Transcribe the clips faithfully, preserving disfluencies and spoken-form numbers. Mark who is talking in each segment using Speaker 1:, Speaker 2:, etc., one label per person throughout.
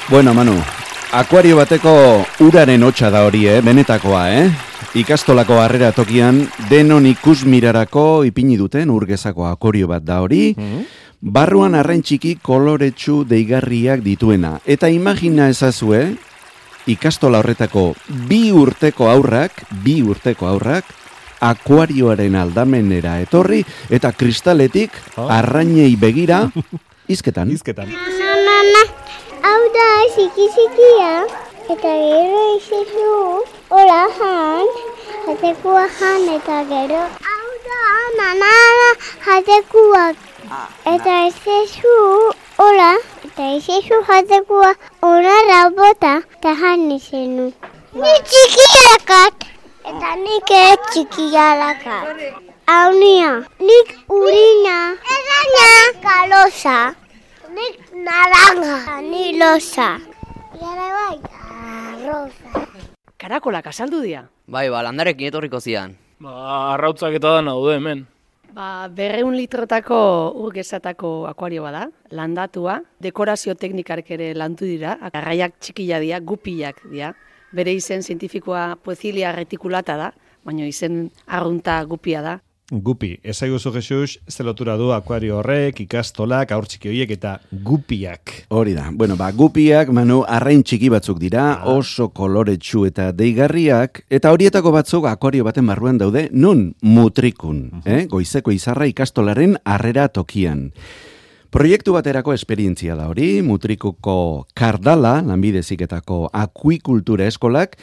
Speaker 1: Bueno, Manu, akuario bateko uraren hotsa da hori, eh? Benetakoa, eh? Ikastolako harrera tokian denon ikusmirarako ipini duten urgezako akuario bat da hori. Mm-hmm. Barruan arrain txiki koloretsu deigarriak dituena. Eta imagina ezazue, ikastola horretako bi urteko aurrak, bi urteko aurrak, akuarioaren aldamenera etorri eta kristaletik oh. arrainei begira izketan.
Speaker 2: Izketan.
Speaker 3: Mama, hau da ziki-zikia, eta gero izezu, hola jan, jatekua jan, eta gero, hau da, mama, jatekuak, eta izezu, hola, eta izezu jatekua, ona rabota, eta jan izenu. Ni txikiakat, eta nik ere txikialakat. Hau nia, nik urina, erraina, kalosa. Nik naranja, ni losa. Gara bai, rosa.
Speaker 4: Karakolak asaldu dira?
Speaker 5: Bai, ba, landarekin etorriko zian.
Speaker 2: Ba, arrautzak eta da naude hemen.
Speaker 4: Ba, berreun litrotako urgezatako akuario bada, landatua, dekorazio teknikarek ere lantu dira, arraiak txikila dira, gupiak dira. Bere izen zientifikoa poezilia retikulata da, baina izen arrunta gupia da.
Speaker 2: Gupi, ezaiguzu Jesus, zelotura du akuario horrek, ikastolak, aur txiki horiek eta gupiak.
Speaker 1: Hori da, bueno, ba, gupiak, Manu, arrain txiki batzuk dira, ah. oso koloretsu eta deigarriak, eta horietako batzuk akuario baten barruan daude, non mutrikun, uh-huh. eh? Goizeko izarra ikastolaren harrera tokian. Proiektu baterako esperientzia da hori, Mutrikuko Kardala, lanbide heziketako akuikultura eskolak,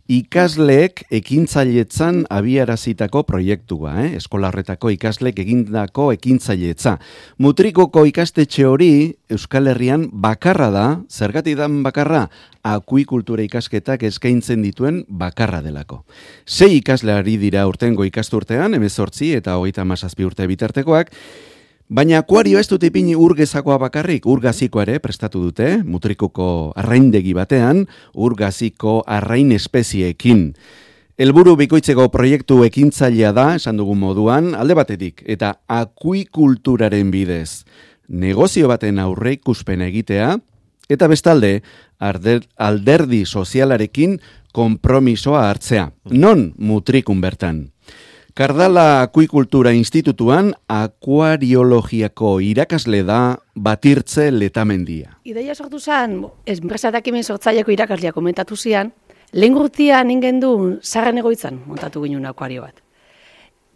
Speaker 1: ikasleek ekintzailetzan abiarazitako proiektua, eh? Eskola horretako ikasleek egindako ekintzailetza. Mutrikuko ikastetxe hori Euskal Herrian bakarra da, zergatik dan bakarra, akuikultura ikasketak eskaintzen dituen bakarra delako. Sei ikasle ari dira urtengo ikasturtean, hemezortzi eta hogeita hamazazpi urte bitartekoak, baina akuario ez dut ipini urgezakoa bakarrik, urgazikoa ere prestatu dute, Mutrikuko arraindegi batean, urgaziko arrain espezieekin. Helburu bikoitzeko proiektu ekintzailea da, esan dugun moduan, alde batetik, eta akuikulturaren bidez. Negozio baten aurre ikuspena egitea, eta bestalde, arder, alderdi sozialarekin konpromisoa hartzea. Non Mutrikun bertan? Kardala Akuikultura Institutuan akuariologiako irakasle da Batirtze Letamendia.
Speaker 4: Ideia sortu zen, enpresatak hemen sortzaileako irakasleak komentatu zian, lehen gurtian ingen du zarren egoitzan montatu ginen akuario bat.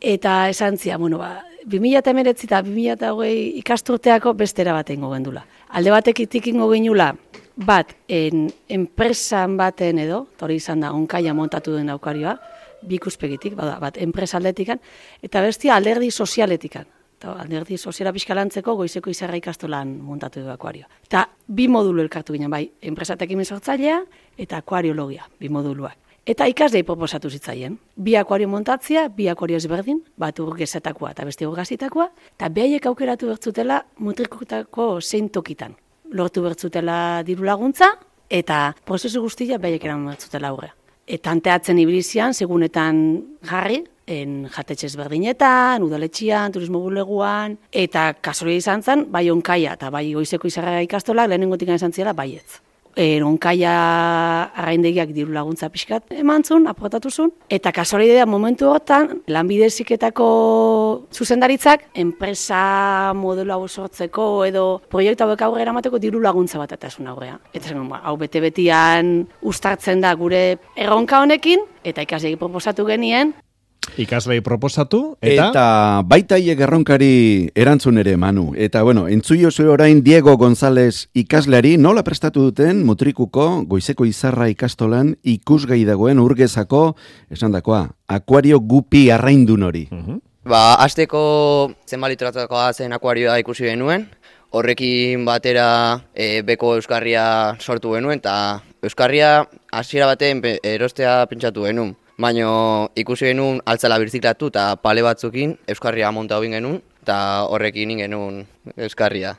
Speaker 4: Eta esan zian, bueno, ba, bi mila hemeretzi eta bi mila hogei ikasturteako bestera bat egingo gendula. Alde batekitik ingo ginula, bat, en, enpresan baten edo, hori izan da, onkaia montatu den akuarioa, bi ikuspegitik, bat, bat enpresaldetikan, eta bestia alderdi sozialetikan. Eta alderdi soziala pixkalantzeko goizeko izarra ikastolan montatu du akuario. Eta bi modulu elkartu ginen, bai, enpresatekin sortzailea eta akuariologia, bi moduluak. Eta ikaslei proposatu zitzaien. Bi akuario montatzea, bi akuario ezberdin, bat urgezetakoa eta beste urgazitakoa, eta behaiek aukeratu bertzutela Mutrikutako zein tokitan. Lortu bertzutela diru laguntza, eta prozesu guztia behaiek eraman bertzutela aurrea. Eta anteatzen ibilizian, segunetan jarri, en jatetxe ezberdinetan, udaletxian, turismo buleguan, eta kasoria izan zen, bai onkaia eta bai goizeko izarra ikastolak lehenengotik izan ziela baietz. En onkaia arraindegiak diru laguntza pixkat emantzun, aportatuzun, eta kasoria momentu hortan, lanbide heziketako zuzendaritzak, enpresa modelo hau sortzeko edo proiektu hauek aurrera eramateko diru laguntza bat eta esun aurrea. Eta zen, hau bete-betian ustartzen da gure erronka honekin, eta ikasleei proposatu genien,
Speaker 2: Ikaslei proposatu, eta...
Speaker 1: Eta baita hiek erronkari erantzun ere, Manu. Eta, bueno, entzuio zuen orain Diego González ikasleari nola prestatu duten Mutrikuko goizeko izarra ikastolan ikusgai dagoen urgezako, esan dakoa, akuario gupi arraindun hori.
Speaker 5: Uh-huh. Ba, hasteko zenbat litrotakoa zen akuarioa ikusi genuen, horrekin batera e, beko euskarria sortu genuen, eta euskarria hasiera baten erostea pentsatu genuen. Baina ikusi genuen altzala birziklatu eta pale batzukin euskarria monta hobin genuen eta horrekin genuen euskarria.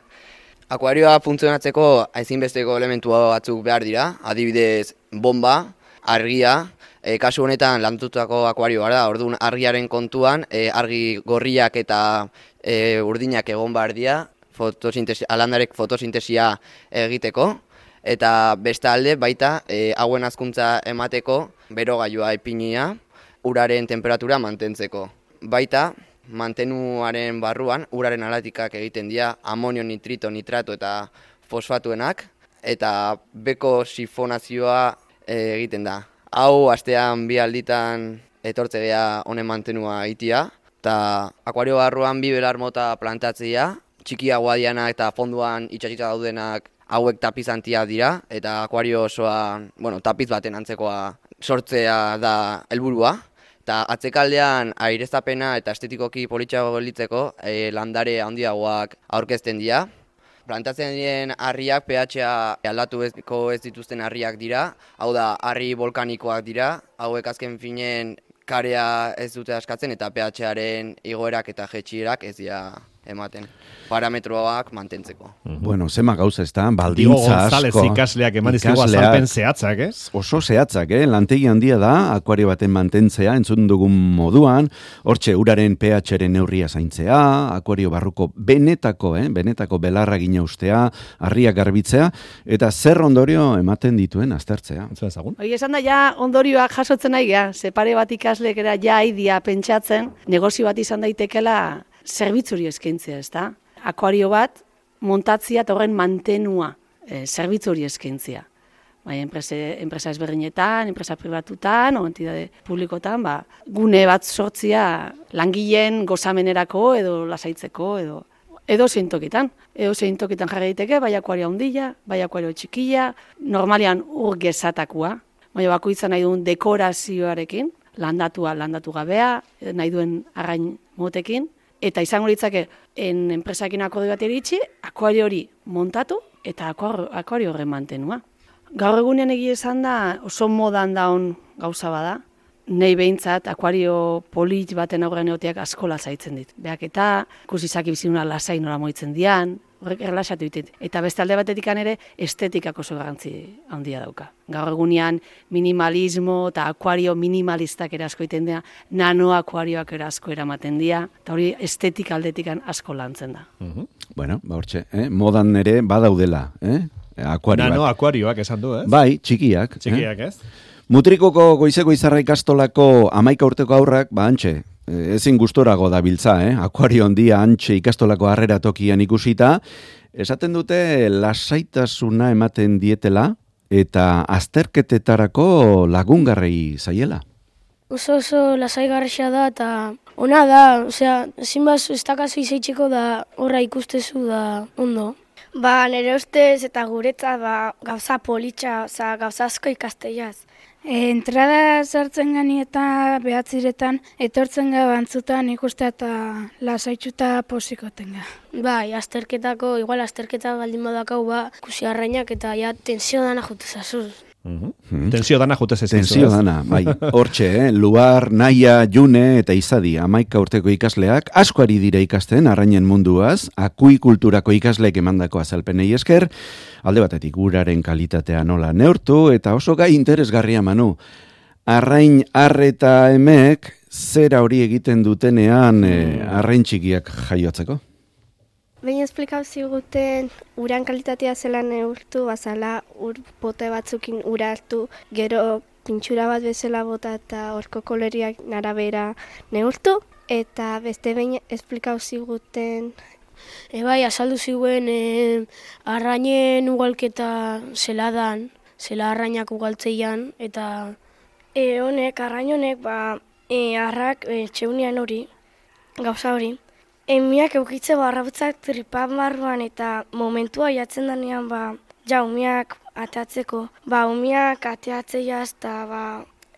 Speaker 5: Akuarioa funtzionatzeko ezinbesteko elementu batzuk behar dira, adibidez bomba, argia, e, kasu honetan landutako akuarioa da, orduan argiaren kontuan, e, argi gorriak eta e, urdinak egon behar dira, fotosintesi, alandarek fotosintesia egiteko. Eta bestalde baita e, hauen hazkuntza emateko berogailua ipinia uraren temperatura mantentzeko. Baita mantenuaren barruan uraren alatikak egiten dira amonio, nitrito, nitrato eta fosfatuenak eta beko sifonazioa e, egiten da. Hau astean bi alditan etortze gea honen mantenua egitea eta akuario barruan bi belar mota plantatzea, txikiagoa dianak eta fonduan itxasita daudenak hauek tapizantia dira eta akuario osoa, bueno, tapiz baten antzekoa sortzea da helburua. Eta atzekaldean aireztapena eta estetikoki politxago gelitzeko e, landare handiagoak aurkezten dira. Plantatzen diren harriak pH-a aldatu ez dituzten harriak dira, hau da harri volkanikoak dira, hauek azken finen karea ez dute askatzen eta pH-aren igoerak eta jetxierak ez dira ematen. Parametroak mantentzeko.
Speaker 1: Bueno, zema gauza ez da,
Speaker 2: Diego
Speaker 1: baldintza
Speaker 2: González
Speaker 1: asko.
Speaker 2: ikasleak eman dizkigu azalpen zehatzak, ez?
Speaker 1: Oso zehatzak, eh? Lantegi handia da, akuario baten mantentzea, entzun dugun moduan, hortxe uraren pH-ren neurria zaintzea, akuario barruko benetako, eh? benetako belarra gina ustea, harriak garbitzea, eta zer ondorio ematen dituen aztertzea.
Speaker 2: Entzun ezagun?
Speaker 4: Hoi esan da, ja, ondorioak jasotzen nahi, ja, ze pare bat ikaslek era ja aidia pentsatzen, negozio bat izan daitekela zerbitzuri eskaintzea, ez da? Akuario bat montatzia eta horren mantenua e, zerbitzuri eskaintzia. Bai, enpresa, enpresa ezberdinetan, enpresa pribatutan, o entidade publikotan, ba, gune bat sortzia langileen gozamenerako edo lasaitzeko edo edo zein tokitan. Edo zein tokitan jarri daiteke, bai akuario handia, bai akuario txikia, normalian ur gezatakua, bai bakoitza nahi duen dekorazioarekin, landatua, landatu gabea, nahi duen arrain motekin, eta izango litzake en enpresakin akordio bat iritsi, akuario hori montatu eta akuario horren mantenua. Gaur egunean egia esan da oso modan daun gauza bada, nei behintzat akuario polit baten aurrean egoteak asko lasaitzen dit. Beak eta ikusizaki bizinuna lasai nola moitzen dian, horrek erlaxatu ditit. Eta beste alde batetik ere estetikak oso garrantzi handia dauka. Gaur egunean minimalismo eta akuario minimalistak ere asko iten dira, nano akuarioak ere asko eramaten dira, eta hori estetik aldetik asko lantzen da.
Speaker 2: Uh-huh.
Speaker 1: Bueno, ba hortxe, eh? modan ere badaudela, eh? Akuario
Speaker 2: Nano
Speaker 1: bat.
Speaker 2: akuarioak esan du, ez?
Speaker 1: Bai, txikiak.
Speaker 2: Txikiak, ez?
Speaker 1: Mutrikoko goizeko izarra ikastolako amaika urteko aurrak, ba antxe, ezin gustorago da biltza, eh? Akuario handia antxe ikastolako harrera tokian ikusita, esaten dute lasaitasuna ematen dietela eta azterketetarako lagungarrei zaiela.
Speaker 6: Oso oso lasaigarria da eta ona da, osea, zinbaz ez dakazu izaitzeko da horra ikustezu da ondo.
Speaker 3: Ba, nire ustez eta guretzat ba, gauza politxa, oza, gauza asko ikasteiaz.
Speaker 7: E, entrada sartzen gani eta behatziretan, etortzen ga bantzutan ikustea eta lasaitxuta posikoten ga.
Speaker 6: Bai, azterketako, igual azterketa baldin badakau ba, kusi arrainak eta ja tensio dana jutezazuz.
Speaker 2: Uh-huh. Hmm. Tensio dana jutez ez.
Speaker 1: Tensio dana, bai. Hortxe, eh? Luar, Naia, June eta Izadi, amaika urteko ikasleak, asko ari dira ikasten arrainen munduaz, akuikulturako ikasleek emandako azalpenei esker, alde batetik uraren kalitatea nola neurtu, eta oso gai interesgarria Manu. Arrain arreta emek, zera hori egiten dutenean eh, arrain txikiak jaiotzeko?
Speaker 3: Baina esplikau ziguten uran kalitatea zela neurtu, bazala ur bote batzukin ura hartu, gero pintxura bat bezala bota eta horko koleriak narabera neurtu, eta beste behin esplikau ziguten.
Speaker 6: E bai, azaldu ziguen e, arrainen ugalketa zeladan, zela arrainak ugaltzeian, eta
Speaker 3: E, honek, arrain honek, ba, e, arrak e, txeunian hori, gauza hori, emiak eukitze barrautzak tripan barruan eta momentua jatzen danean, ba, ja, umiak atatzeko, ba, umiak ateatzeiaz, eta, ba,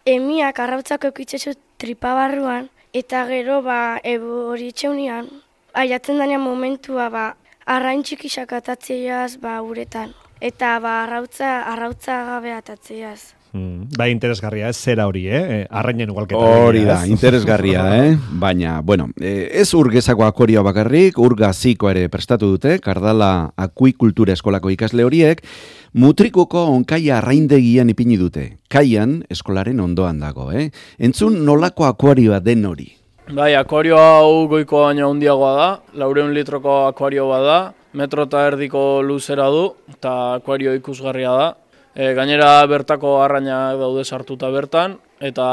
Speaker 3: emiak arrautzak eukitzezu tripa barruan, eta gero, ba, ebu hori txeunian, aiatzen danean momentua, ba, arrain txikisak atatzeiaz, ba, uretan, eta, ba, arrautza, arrautza gabe atatzeiaz.
Speaker 2: Hmm. Bai, interesgarria, ez zera hori, eh? Arrainen ugalketa.
Speaker 1: Hori da, interesgarria, eh? Baina, bueno, ez urgezako akorioa bakarrik, urgaziko ere prestatu dute, Kardala Akuikultura Eskolako ikasle horiek, Mutrikuko onkaia arraindegian ipini dute. Kaian, eskolaren ondoan dago, eh? Entzun nolako akuarioa den hori.
Speaker 8: Bai, akuario hau goiko baino handiagoa da, laureun litroko akuario bada, metro eta erdiko luzera du, eta akuario ikusgarria da. E, gainera bertako arrainak daude sartuta bertan, eta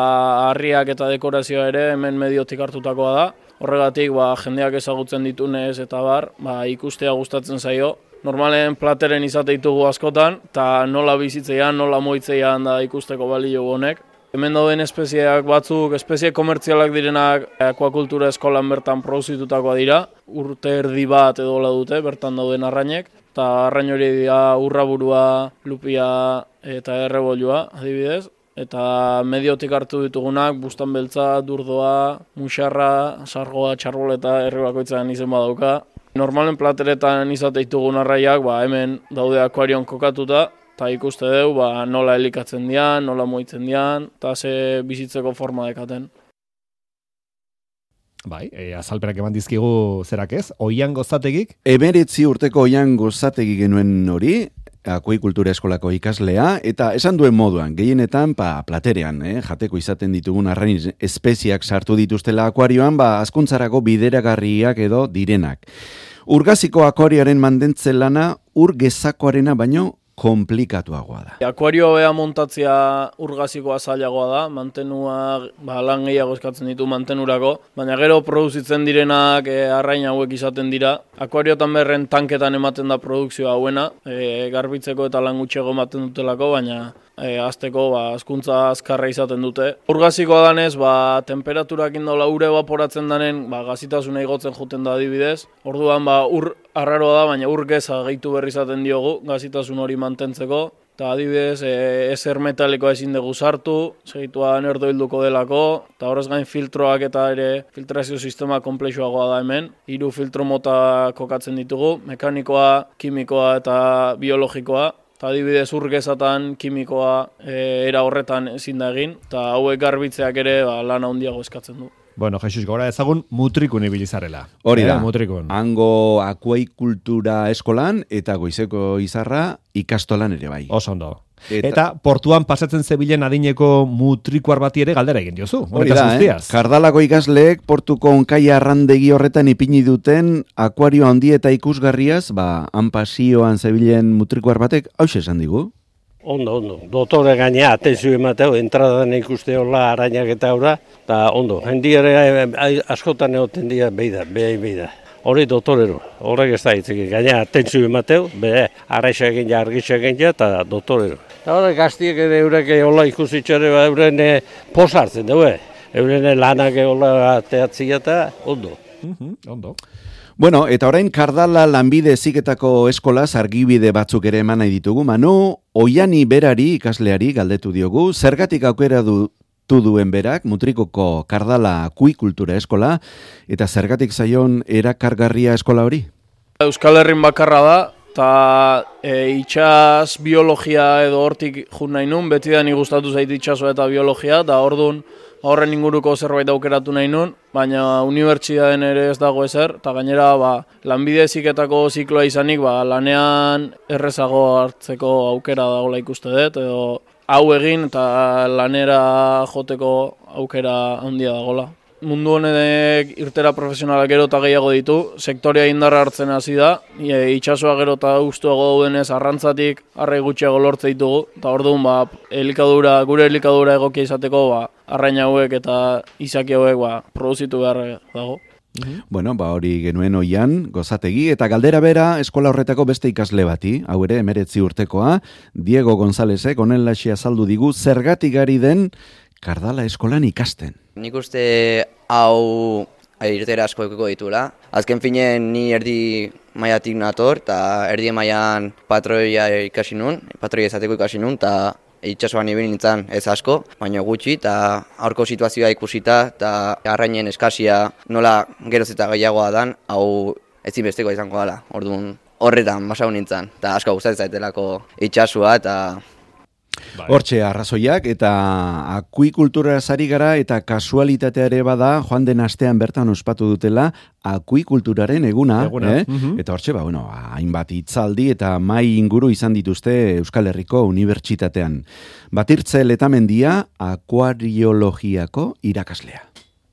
Speaker 8: harriak eta dekorazioa ere hemen mediotik hartutakoa da. Horregatik ba, jendeak ezagutzen ditunez eta bar, ba, ikustea gustatzen zaio. Normalen plateren izate ditugu askotan, eta nola bizitzeian, nola moitzeian da ikusteko balio honek. Hemen dauden espezieak batzuk, espezie komertzialak direnak akuakultura eskolan bertan produzitutakoa dira. Urte erdi bat edola dute bertan dauden arrainek. Eta arrain hori dira urraburua, lupia eta errebolua adibidez. Eta mediotik hartu ditugunak, bustan beltza, durdoa, musarra, sargoa, txarboleta, herri bakoitzan izen badauka. Normalen plateretan izate ditugun arraiak, ba, hemen daude akuarion kokatuta, eta ikuste dugu ba, nola elikatzen dian, nola moitzen dian, eta ze bizitzeko forma dekaten.
Speaker 2: Bai, e, azalpenak eman dizkigu zerak ez, Oian Gozategik?
Speaker 1: Emeretzi urteko Oian Gozategi genuen hori, akuikultura eskolako ikaslea, eta esan duen moduan, gehienetan pa, platerean, eh, jateko izaten ditugun arrain espeziak sartu dituztela akuarioan, ba, azkuntzarako bideragarriak edo direnak. Urgaziko akuarioaren mantentze lana, ur gezakoarena baino komplikatuagoa da.
Speaker 8: Akuario bea montatzea urgazikoa zailagoa da, mantenua ba, lan gehiago eskatzen ditu mantenurako, baina gero produzitzen direnak e, arrain hauek izaten dira. Akuariotan berren tanketan ematen da produkzioa hauena, e, garbitzeko eta lan gutxego ematen dutelako, baina e, azteko ba, azkuntza azkarra izaten dute. Urgazikoa danez, ba, temperaturak indola ure evaporatzen danen, ba, gazitasuna igotzen juten da adibidez. Orduan ba, ur arraroa da, baina ur geza gehitu berri izaten diogu, gazitasun hori mantentzeko. Eta adibidez, e, ezer metalikoa ezin dugu sartu, segituan erdoilduko delako, eta horrez gain filtroak eta ere filtrazio sistema komplexuagoa da hemen. Hiru filtro mota kokatzen ditugu, mekanikoa, kimikoa eta biologikoa. Eta adibidez urgezatan kimikoa e, era horretan ezin da egin, eta hauek garbitzeak ere ba, lana handiago eskatzen du.
Speaker 2: Bueno, Jesus, gora ezagun mutrikun ibilizarela.
Speaker 1: Hori da,
Speaker 2: eh, mutrikun.
Speaker 1: Hango akuaikultura eskolan eta Goizeko Izarra ikastolan ere bai.
Speaker 2: Oso ondo. Eta, eta portuan pasatzen zebilen adineko mutrikuar bati ere galdera egin diozu.
Speaker 1: Hori da, eh? Kardalako ikasleek portuko onkai arrandegi horretan ipini duten akuario handi eta ikusgarriaz, ba, han pasioan zebilen mutrikuar batek, hauxe esan digu.
Speaker 9: Ondo, ondo. Dotore gainea, atenzio emateu, entradan ikuste hola arainak eta aurra, eta ondo. Hendi ere askotan egoten dira beida, beha beida. Hori dotorero, horrek ez da hitzik. Gainea, atenzio emateu, beha araixa egin ja, argitxa egin ja, eta dotorero. Eta horrek gaztiek ere eurek hola ikusitxare, euren posartzen dugu, euren lanak hola teatzia eta ondo.
Speaker 2: Mm-hmm, ondo.
Speaker 1: Bueno, eta orain Kardala lanbide heziketako eskolaz argibide batzuk ere eman nahi ditugu. Manu, Oiani berari ikasleari galdetu diogu, zergatik aukera du duen berak, Mutrikuko Kardala akuikultura eskola, eta zergatik zaion erakargarria eskola hori?
Speaker 8: Euskal Herrin bakarra da, eta e, itxas biologia edo hortik jun nahi nun, beti da ni gustatu zait itxaso eta biologia, eta ordun horren inguruko zerbait aukeratu nahi nun, baina unibertsitateen ere ez dago ezer, eta gainera ba, lanbide heziketako zikloa izanik ba, lanean errezago hartzeko aukera dagoela ikuste dut, edo hau egin eta lanera joteko aukera handia dagoela. Mundu honek irtera profesionalak gero eta gehiago ditu, sektorea indarra hartzen hasi da, e, itxasoa gero eta gustuago daudenez arrantzatik arrai gutxiago lortze ditugu, eta orduan ba, elikadura, gure elikadura egokia izateko ba, arrain hauek eta izaki hauek ba, produzitu behar dago.
Speaker 1: Mm-hmm. Bueno, ba hori genuen Oian Gozategi, eta galdera bera eskola horretako beste ikasle bati, hau ere emeretzi urtekoa, Diego Gonzálezek onenlaxi azaldu digu zergatik ari den Kardala eskolan ikasten.
Speaker 5: Nik uste hau irtera asko ekiko ditula. Azken finen ni erdi maiatik nator, eta erdi maian patroia ikasi nun, patroia izateko ikasi nun, eta itxasoan ibili nintzen ez asko, baina gutxi, eta aurko situazioa ikusita, eta arrainen eskasia nola geroz eta gehiagoa dan, hau ezinbesteko izango dela. Orduan horretan basau nintzen, eta asko gustatzen zaitelako itxasua, eta
Speaker 1: hortxe arrazoiak, eta akuikultura zari gara, eta kasualitatea ere bada, joan den astean bertan ospatu dutela, akuikulturaren eguna, eguna. Eh? Mm-hmm. Eta hortxe, ba, bueno, hainbat hitzaldi eta mai inguru izan dituzte Euskal Herriko Unibertsitatean. Batirtze Letamendia, akuariologiako irakaslea.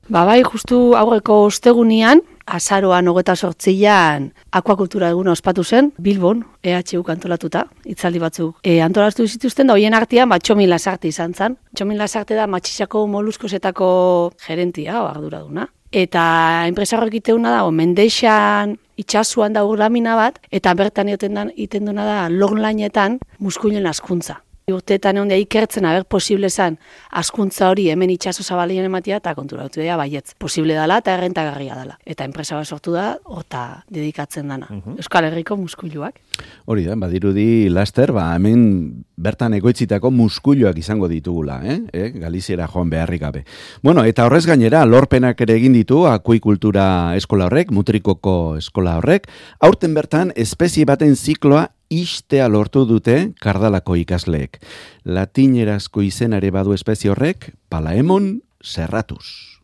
Speaker 4: Ba bai, justu aurreko ostegunian, azaroan hogeta sortzian akuakultura eguna ospatu zen, Bilbon, E H U antolatuta, itzaldi batzuk e, antolatu zituzten, da hoien artean ba, Txomin Lasarte izan zen. Txomin Lasarte da matxisako moluskosetako gerentia, o arduraduna. Eta enpresa horrek iteuna da, mendexan itxasuan da lamina bat, eta bertan iten duna da lorlainetan muskulen askuntza. Urteetan egon da ikertzen aber posible zen askuntza hori hemen itxaso zabalien ematia eta konturatu dira baietz. Posible dela eta errentagarria dela. Eta enpresa bat sortu da, horta dedikatzen dana. Uh-huh. Euskal Herriko muskuluak.
Speaker 1: Hori da, badirudi laster, ba, hemen bertan egoitzitako muskuluak izango ditugula, eh? eh? Galiziera joan beharrik gabe. Bueno, eta horrez gainera, lorpenak ere egin ditu akuikultura eskola horrek, Mutrikoko eskola horrek, aurten bertan espezie baten zikloa istea lortu dute kardalako ikasleek. Latinerazko izenare badu espezie horrek, Palaemon serratus.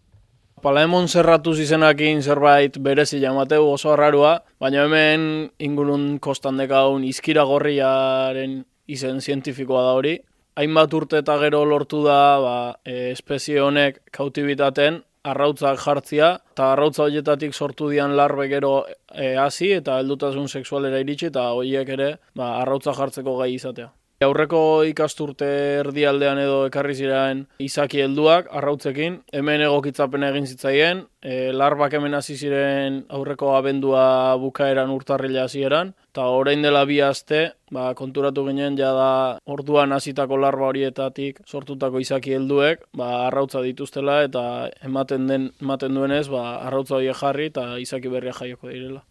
Speaker 8: Palaemon serratus izenakin zerbait berezi jamateu oso arrarua, baina hemen ingurun kostan dekaun izkira gorriaren izen zientifikoa da hori. Hainbat urte eta gero lortu da ba, e, espezie honek kautibitaten, arrautzak jartzia, eta arrautza horietatik sortu dian larbe gero e, hasi eta heldutasun sexualera iritsi, eta horiek ere ba, arrautza jartzeko gai izatea. Aurreko ikasturte erdialdean edo ekarri ziren izaki helduak arrautzekin, hemen egokitzapen egin zitzaien, e, larbak hemen hasi ziren aurreko abendua bukaeran urtarrila hasieran, eta orain dela bi aste, ba, konturatu ginen jada orduan hasitako larba horietatik sortutako izaki helduek, ba, arrautza dituztela eta ematen den ematen duenez, ba, arrautza horiek jarri eta izaki berria jaioko direla.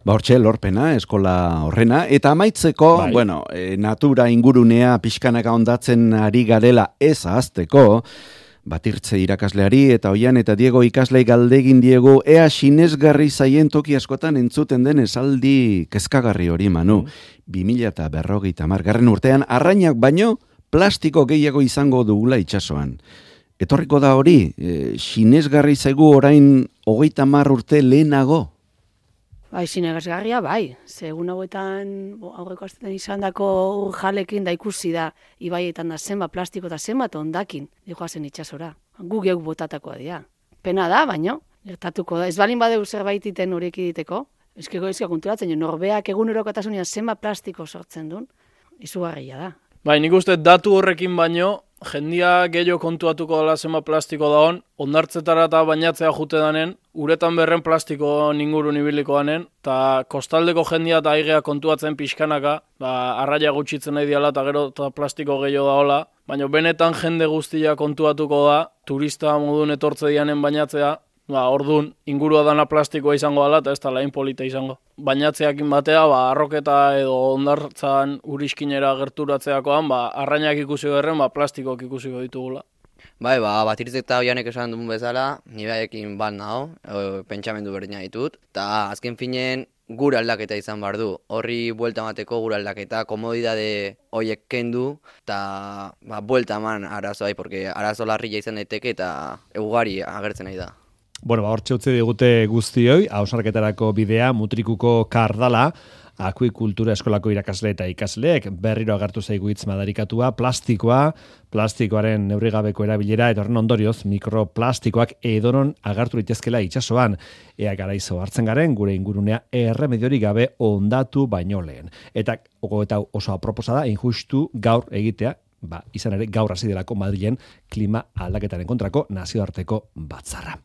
Speaker 1: Ba, hortxe lorpena, eskola horrena, eta amaitzeko, bai. bueno, e, natura ingurunea pixkanaka ondatzen ari garela ez ahazteko, Batirtze irakasleari eta Oian eta Diego ikaslei galdegin diegu ea sinesgarri zaien toki askotan entzuten den esaldi kezkagarri hori, Manu. bi mila berrogeita hamar garren urtean arrainak baino plastiko gehiago izango dugula itsasoan. Etorriko da hori, e, sinesgarri zaigu orain hogeita hamar urte lehenago?
Speaker 4: Bai, sinesgarria, bai. Segun hauetan aurreko astetan izan dako urjalekin da ikusi da ibaietan da zenba plastiko eta zenbat ondakin dijoazen itsasora. Gu geuk botatakoa dira. Pena da, baino, gertatuko da. Ez balin badeu zerbait iten horiek diteko, eskego ezka konturatzen, norbeak egunerokotasunean zenba plastiko sortzen duen, izugarria da.
Speaker 8: Bai, nik uste datu horrekin baino, jendia gehiago kontuatuko dela zenba plastiko dagoen, ondartzetara eta bainatzea jute danen, uretan berren plastiko ningurun ibiliko danen, eta kostaldeko jendia eta aigea kontuatzen pixkanaka, ba, arraia gutxitzen nahi diala eta gero eta plastiko gehiago daola, baina benetan jende guztia kontuatuko da, turista modun etortze dianen bainatzea, ba, ordun ingurua dana plastikoa izango dela eta ez da lain polita izango. Bainatzeakin batea, ba, arroketa edo ondartzan uriskinera gerturatzeakoan, ba, arrainak ikusi gerren, ba, plastikoak ikusiko ditugula.
Speaker 5: Bai, ba, Batirtze eta Oianek esan duen bezala, nibaekin bat nago, pentsamendu berdina ditut, eta azken finen gure aldaketa izan behar du. Horri buelta emateko gure aldaketa, komodidade horiek kendu, eta ba, buelta eman arazoai, porque arazo larria izan daiteke eta ugari agertzen nahi da.
Speaker 2: Bueno, ba, hortxe utzi digute guztioi, hausarketarako bidea Mutrikuko kardala, akuikultura eskolako irakasle eta ikasleek berriro agertu zaigu hitz madarikatua, plastikoa, plastikoaren neurrigabeko erabilera, eta horren ondorioz mikroplastikoak edonon agertu litezkela itsasoan. Ea garaizo hartzen garen, gure ingurunea erremediorik gabe ondatu baino lehen. Eta, eta oso aproposa da, injustu gaur egitea, ba, izan ere gaur hasi delako Madrilen klima aldaketaren kontrako nazioarteko batzarra.